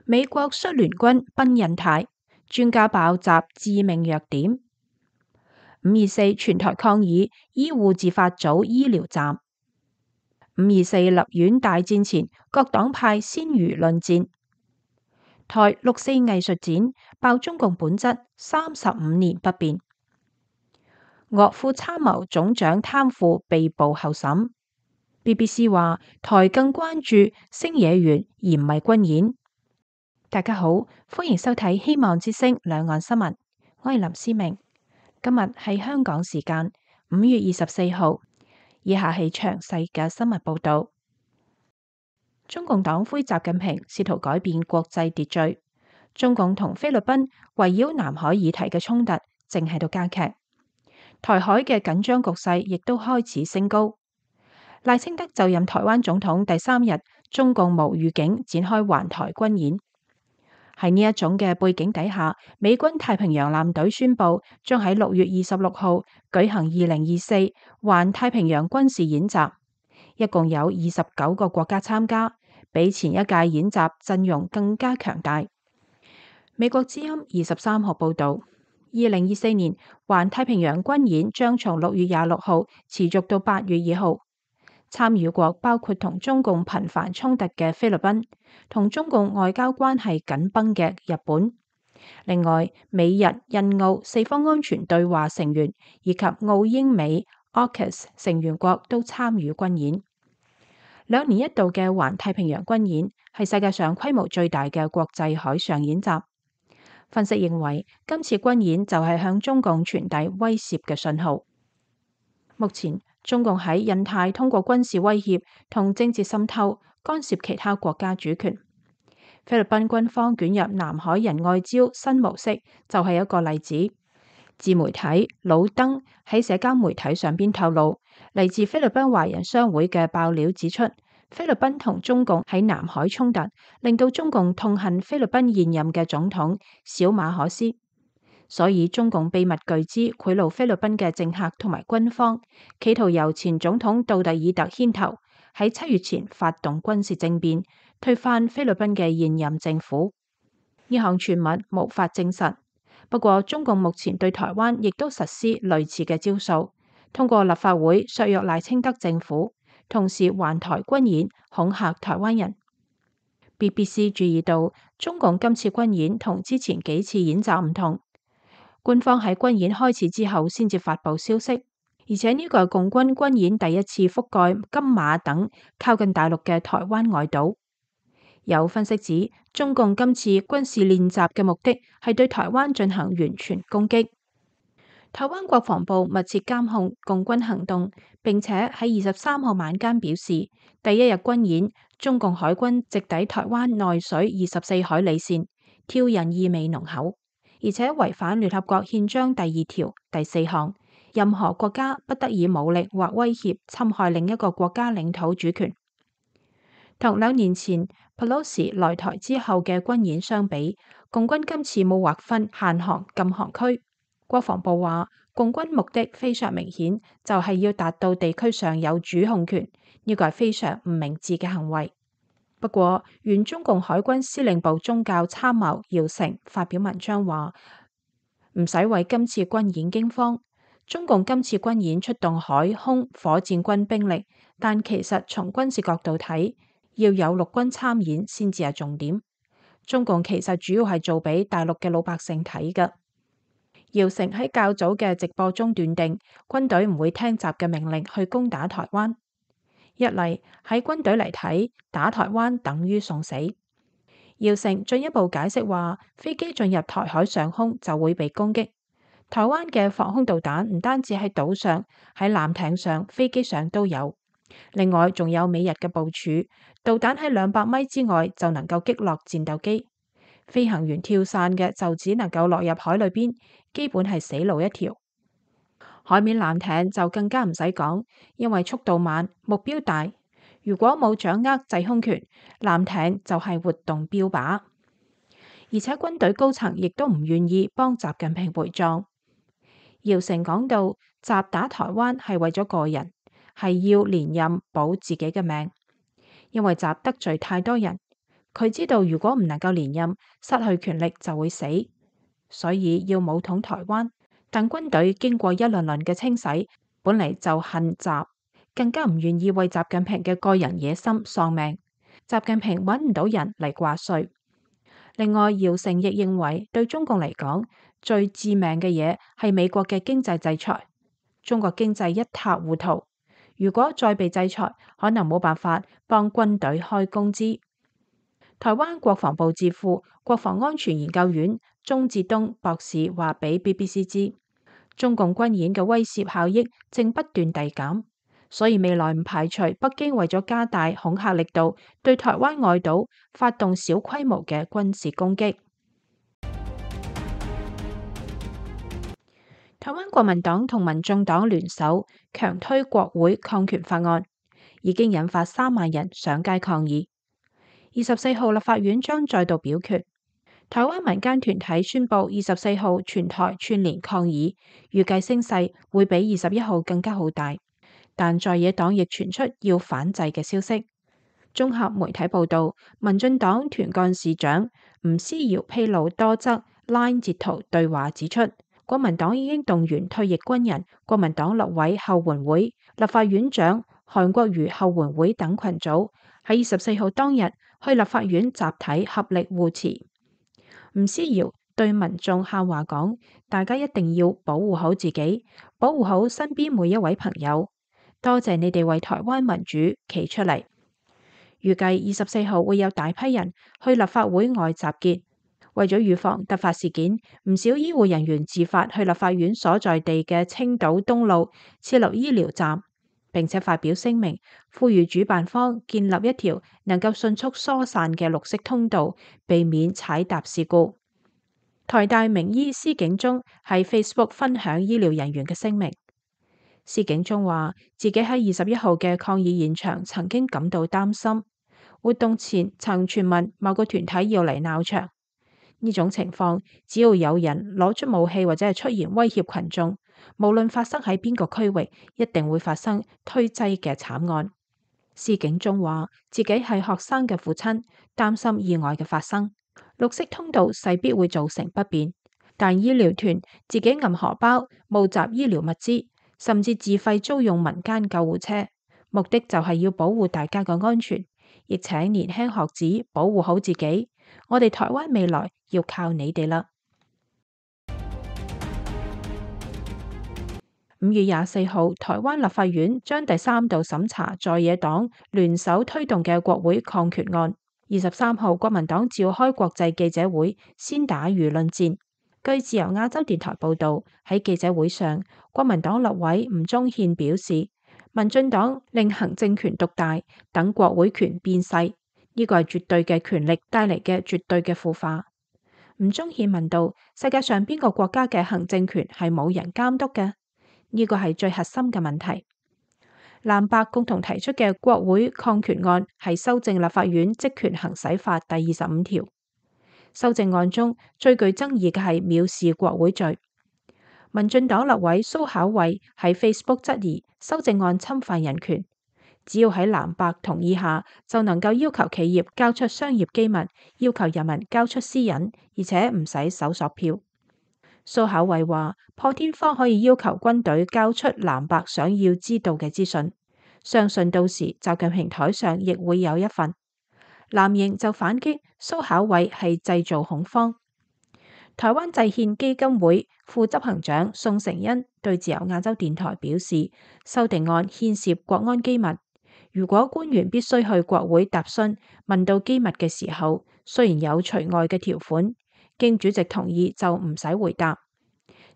美國率聯軍奔印太，專家爆襲致命弱點。5.24全台抗議醫護自發組醫療站。5.24立院大戰前，各黨派鮮魚論戰。台6.4藝術展爆中共本質35年不變。岳副參謀總長貪腐被捕候審。BBC 話台更關注星野源而唔係軍演。大家好，歡迎收睇希望之聲兩岸新聞，我係林思明。今日係香港時間5月24號，以下係詳細嘅新聞報道。中共黨魁習近平試圖改變國際秩序，中共同菲律賓圍繞南海議題嘅衝突正喺度加劇，台海嘅緊張局勢亦都開始升高。賴清德就任台灣總統第3日，中共無預警展開環台軍演。喺呢一種嘅背景底下，美軍太平洋艦隊宣布將喺6月26號舉行2024環太平洋軍事演習，一共有29個國家參加，比前一屆演習陣容更加強大。美國之音23號報道，2024年環太平洋軍演將從6月26號持續到8月2號。參與國包括同中共頻繁衝突嘅菲律賓，同中共外交關係緊繃嘅日本。另外，美日印澳四方安全對話成員以及澳英美 AUKUS 成員國都參與軍演。2年一度嘅環太平洋軍演係世界上規模最大嘅國際海上演習。分析認為，今次軍演就係向中共傳遞威懾嘅信號。目前，中共喺印太通過軍事威脅同政治滲透干涉其他國家主權。菲律賓軍方捲入南海人外礁新模式就係一個例子。自媒體老登喺社交媒體上邊透露，嚟自菲律賓華人商會嘅爆料指出，菲律賓同中共喺南海衝突，令到中共痛恨菲律賓現任嘅總統小馬可斯。所以中共秘密巨資賄賂菲律賓嘅政客同埋軍方，企圖由前總統杜特爾特牽頭，喺7月前發動軍事政變，推翻菲律賓嘅現任政府。呢項傳聞無法證實，不過中共目前對台灣亦都實施類似嘅招數，通過立法會削弱賴清德政府，同時環台軍演恐嚇台灣人。BBC 注意到，中共今次軍演同之前幾次演習唔同。官方喺軍演開始之後先至發佈消息，而且呢個係共軍軍演第一次覆蓋金馬等靠近大陸嘅台灣外島。有分析指，中共今次軍事練習嘅目的係對台灣進行完全攻擊。台灣國防部密切監控共軍行動，並且喺23號晚間表示，第一日軍演，中共海軍直抵台灣內水24海里線，挑釁意味濃厚。而且違反聯合國憲章第2條第4項，任何國家不得以武力或威脅侵害另一個國家領土主權。同2年前 Pelosi 來台之後嘅軍演相比，共軍今次冇劃分限航禁航區。國防部話，共軍目的非常明顯，就係要達到地區上有主控權，呢個係非常唔明智嘅行為。不過，原中共海軍司令部宗教參謀姚成發表文章話，唔使為今次軍演驚慌。中共今次軍演出動海空火箭軍兵力，但其實從軍事角度睇，要有陸軍參演先至係重點。中共其實主要係做俾大陸嘅老百姓睇㗎。姚成喺較早嘅直播中斷定，軍隊唔會聽習嘅命令去攻打台灣。一嚟喺軍隊嚟睇，打台灣等於送死。姚成進一步解釋話，飛機進入台海上空就會被攻擊。台灣嘅防空導彈唔單止喺島上，喺艦艇上、飛機上都有。另外仲有美日嘅部署，導彈喺200米之外就能夠擊落戰鬥機。飛行員跳傘嘅就只能夠落入海裏邊，基本係死路一條。海面艦艇就更加唔使講，因為速度慢，目標大。如果冇掌握制空權，艦艇就係活動標靶。而且軍隊高層亦都唔願意幫習近平陪葬。姚成講到，習打台灣係為咗個人，係要連任保自己嘅命，因為習得罪太多人。佢知道如果唔能夠連任，失去權力就會死，所以要武統台灣。但軍隊經過一輪輪嘅清洗，本嚟就恨習，更加唔願意為習近平嘅個人野心喪命。習近平揾唔到人嚟掛帥。另外，姚成亦認為對中共嚟講，最致命嘅嘢係美國嘅經濟制裁。中國經濟一塌糊塗，如果再被制裁，可能冇辦法幫軍隊開工資。台灣國防部智庫國防安全研究院鍾志東博士話俾 BBC 知，中共軍演嘅威懾效益正不斷遞減，所以未來唔排除北京為咗加大恐嚇力度，對台灣外島發動小規模嘅軍事攻擊。台灣國民黨同民眾黨聯手強推國會抗權法案，已經引發3萬人上街抗議。24號立法院將再度表決。台灣民間團體宣布24號全台串聯抗議，預計聲勢會比21號更加好大。但在野黨亦傳出要反制嘅消息。綜合媒體報道，民進黨團幹事長吳思瑤披露多則 LINE 截圖對話，指出國民黨已經動員退役軍人、國民黨立委後援會、立法院長韓國瑜後援會等群組喺24號當日去立法院集體合力護持。吳思瑤對民眾喊話講：大家一定要保護好自己，保護好身邊每一位朋友。多謝你哋為台灣民主企出嚟。預計24號會有大批人去立法會外集結，為咗預防突發事件，唔少醫護人員自發去立法院所在地嘅青島東路設立醫療站，並且發表聲明，呼籲主辦方建立一條能夠迅速疏散嘅綠色通道，避免踩踏事故。台大名醫施景忠喺 Facebook 分享醫療人員嘅聲明。施景忠話自己喺21號嘅抗議現場曾經感到擔心，活動前曾傳聞某個團體要嚟鬧場。呢種情況，只要有人攞出武器或者係出言威脅群眾，無論發生喺邊個區域，一定會發生推擠嘅慘案。施景忠話自己係學生嘅父親，擔心意外嘅發生。綠色通道勢必會造成不便，但醫療團自己揞荷包募集醫療物資，甚至自費租用民間救護車，目的就係要保護大家嘅安全，亦請年輕學子保護好自己。我哋台灣未來要靠你哋啦。5月24號，台灣立法院將第3度審查在野黨聯手推動嘅國會抗權案。23號，國民黨召開國際記者會，先打輿論戰。據自由亞洲電台報道，喺記者會上，國民黨立委吳宗憲表示，民進黨令行政權獨大，等國會權變細，呢個係絕對嘅權力帶嚟嘅絕對嘅腐化。吳宗憲問道：世界上邊個國家嘅行政權係冇人監督嘅？呢個係最核心嘅問題。藍白共同提出嘅國會抗權案係修正立法院職權行使法第25條。修正案中最具爭議嘅係藐視國會罪。民進黨立委蘇巧慧喺 Facebook 質疑修正案侵犯人權，只要喺藍白同意下，就能夠要求企業交出商業機密，要求人民交出私隱，而且唔使搜索票。蘇巧慧話破天荒可以要求軍隊交出藍白想要知道嘅資訊，相信到時習近平台上亦會有一份。藍營就反擊蘇巧慧係製造恐慌。台灣制憲基金會副執行長宋承恩對自由亞洲電台表示，修訂案牽涉國安機密，如果官員必須去國會答詢，問到機密嘅時候，雖然有除外嘅條款，經主席同意就唔使回答，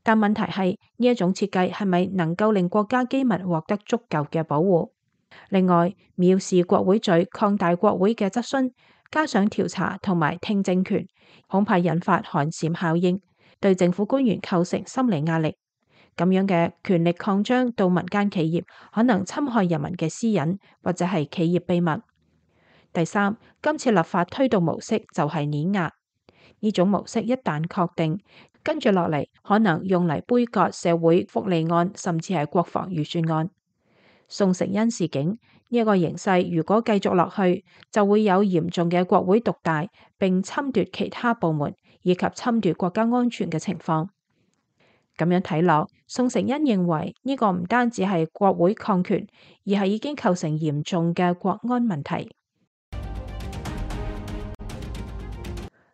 但問題係呢一種設計係咪能夠令國家機密獲得足夠嘅保護？另外，藐視國會罪擴大國會嘅質詢，加上調查同埋聽證權，恐怕引發寒蟬效應，對政府官員構成心理壓力。咁樣嘅權力擴張到民間企業，可能侵害人民嘅私隱或者係企業秘密。第三，今次立法推動模式就係碾壓。呢種模式一旦確定，跟住落嚟可能用嚟杯葛社會福利案，甚至係國防預算案。宋承恩示警，呢個形勢如果繼續落去，就會有嚴重嘅國會獨大並侵奪其他部門以及侵奪國家安全嘅情況。咁樣睇落，宋承恩認為呢個唔單止係國會抗權，而係已經構成嚴重嘅國安問題。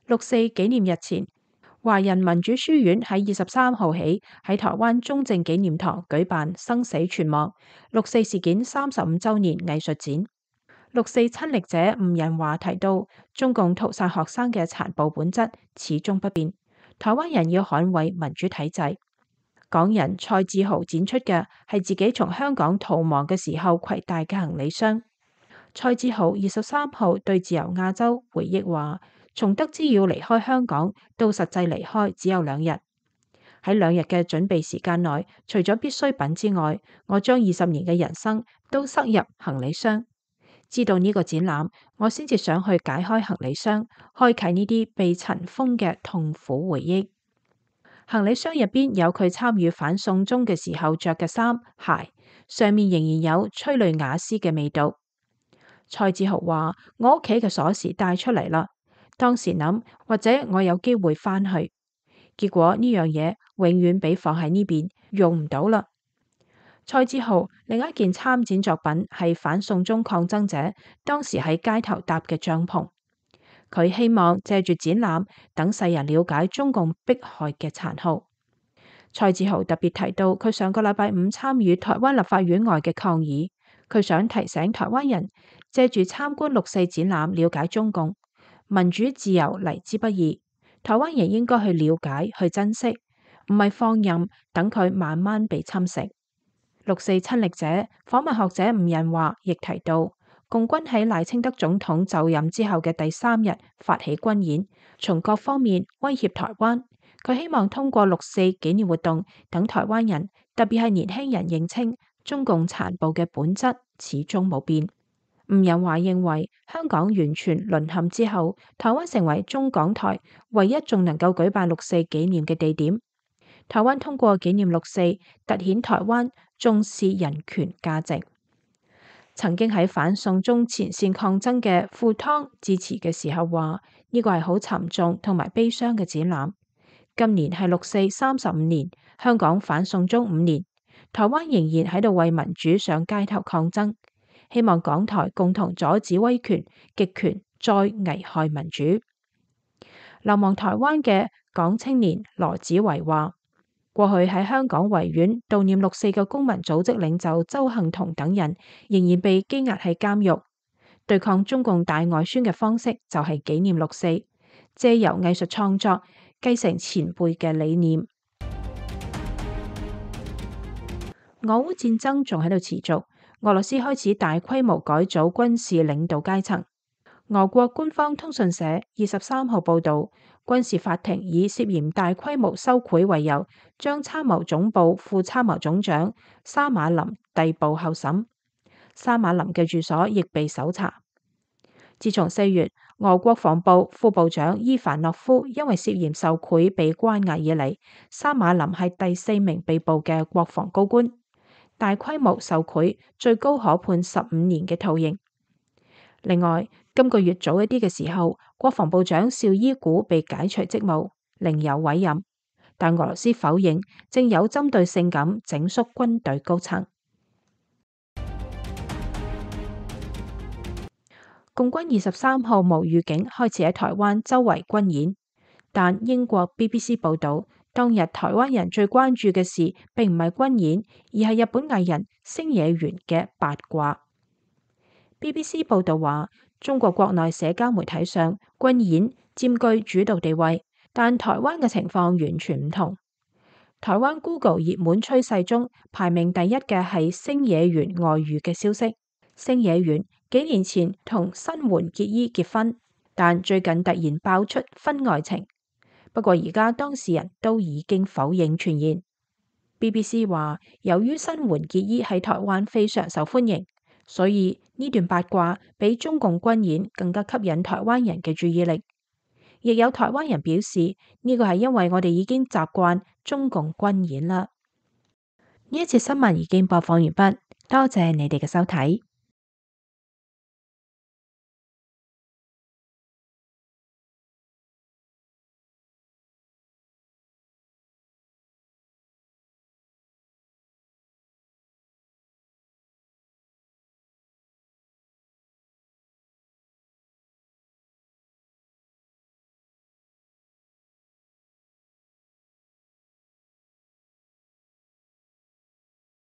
六四紀念日前，華人民主書院喺23號起喺台灣中正紀念堂舉辦生死存亡六四事件35週年藝術展。六四親歷者吳仁華提到，中共屠殺學生嘅殘暴本質始終不變，台灣人要捍衛民主體制。港人蔡志豪展出嘅係自己從香港逃亡嘅時候攜帶嘅行李箱。蔡志豪23號對自由亞洲回憶話，從得知要離開香港到實際離開只有2日。喺2日嘅準備時間內，除咗必需品之外，我將20年嘅人生都塞入行李箱。知道呢個展覽，我先至想去解開行李箱，開啟呢啲被塵封嘅痛苦回憶。行李箱入邊有佢參與反送中嘅時候着嘅衫鞋，上面仍然有催淚瓦斯嘅味道。蔡志豪話：我屋企嘅鎖匙帶出嚟啦，當時諗或者我有機會返去，結果呢樣嘢永遠被放喺呢邊，用唔到啦。蔡志豪另一件參展作品係反送中抗爭者當時喺街頭搭嘅帳篷，佢希望借住展覽等世人了解中共迫害嘅殘酷。蔡志豪特別提到佢上個禮拜5參與台灣立法院外嘅抗議，佢想提醒台灣人借住參觀六四展覽了解中共民主自由嚟之不易，台灣人應該去了解去珍惜，唔係放任等佢慢慢被侵蝕。六四親歷者訪問學者吳仁華亦提到，共軍喺賴清德總統就任之後嘅第3日發起軍演，從各方面威脅台灣。佢希望通過六四紀念活動，等台灣人，特別係年輕人認清中共殘暴嘅本質始終冇變。吳仁華認為，香港完全淪陷之後，台灣成為中港台唯一仲能夠舉辦六四紀念嘅地點。台灣通過紀念六四，凸顯台灣重視人權價值。曾經喺反送中前線抗爭嘅傅湯致辭嘅時候話：呢個係好沉重同埋悲傷嘅展覽。今年係六四35年，香港反送中5年，台灣仍然喺度為民主上街頭抗爭。希望港台共同阻止威權極權再危害民主。流亡台灣嘅港青年羅子維話：過去喺香港維園悼念六四嘅公民組織領袖鄒幸彤等人，仍然被羈押喺監獄。對抗中共大外宣嘅方式就係紀念六四，借由藝術創作繼承前輩嘅理念。俄烏戰爭仲喺度持續，俄羅斯開始大規模改組軍事領導階層。俄國官方通訊社23號報道，軍事法庭以涉嫌大規模收賄為由，將參謀總部副參謀總長沙馬林逮捕候審。沙馬林嘅住所亦被搜查。自從4月，俄國防部副部長伊凡諾夫因為涉嫌受賄被關押以嚟，沙馬林係第4名被捕嘅國防高官。大規模受賄最高可判15年嘅徒刑。另外，今個月早一啲嘅時候，國防部長邵伊古被解除職務，另有委任，但俄羅斯否認正有針對性咁整肅軍隊高層。共軍23號無預警開始喺台灣周圍軍演，但英國 BBC 報道，當日台灣人最關注嘅事並唔係軍演，而係日本藝人星野源嘅八卦。BBC 報道話，中國國內社交媒體上軍演佔據主導地位，但台灣嘅情況完全唔同。台灣 Google 熱門趨勢中排名第一嘅係星野源外遇嘅消息。星野源幾年前同新垣結衣結婚，但最近突然爆出婚外情。不過而家當事人都已經否認傳言。BBC 話，由於新垣結衣喺台灣非常受歡迎，所以呢段八卦比中共軍演更加吸引台灣人嘅注意力。亦有台灣人表示，呢個係因為我哋已經習慣中共軍演啦。呢一節新聞已經播放完畢，多謝你哋嘅收睇。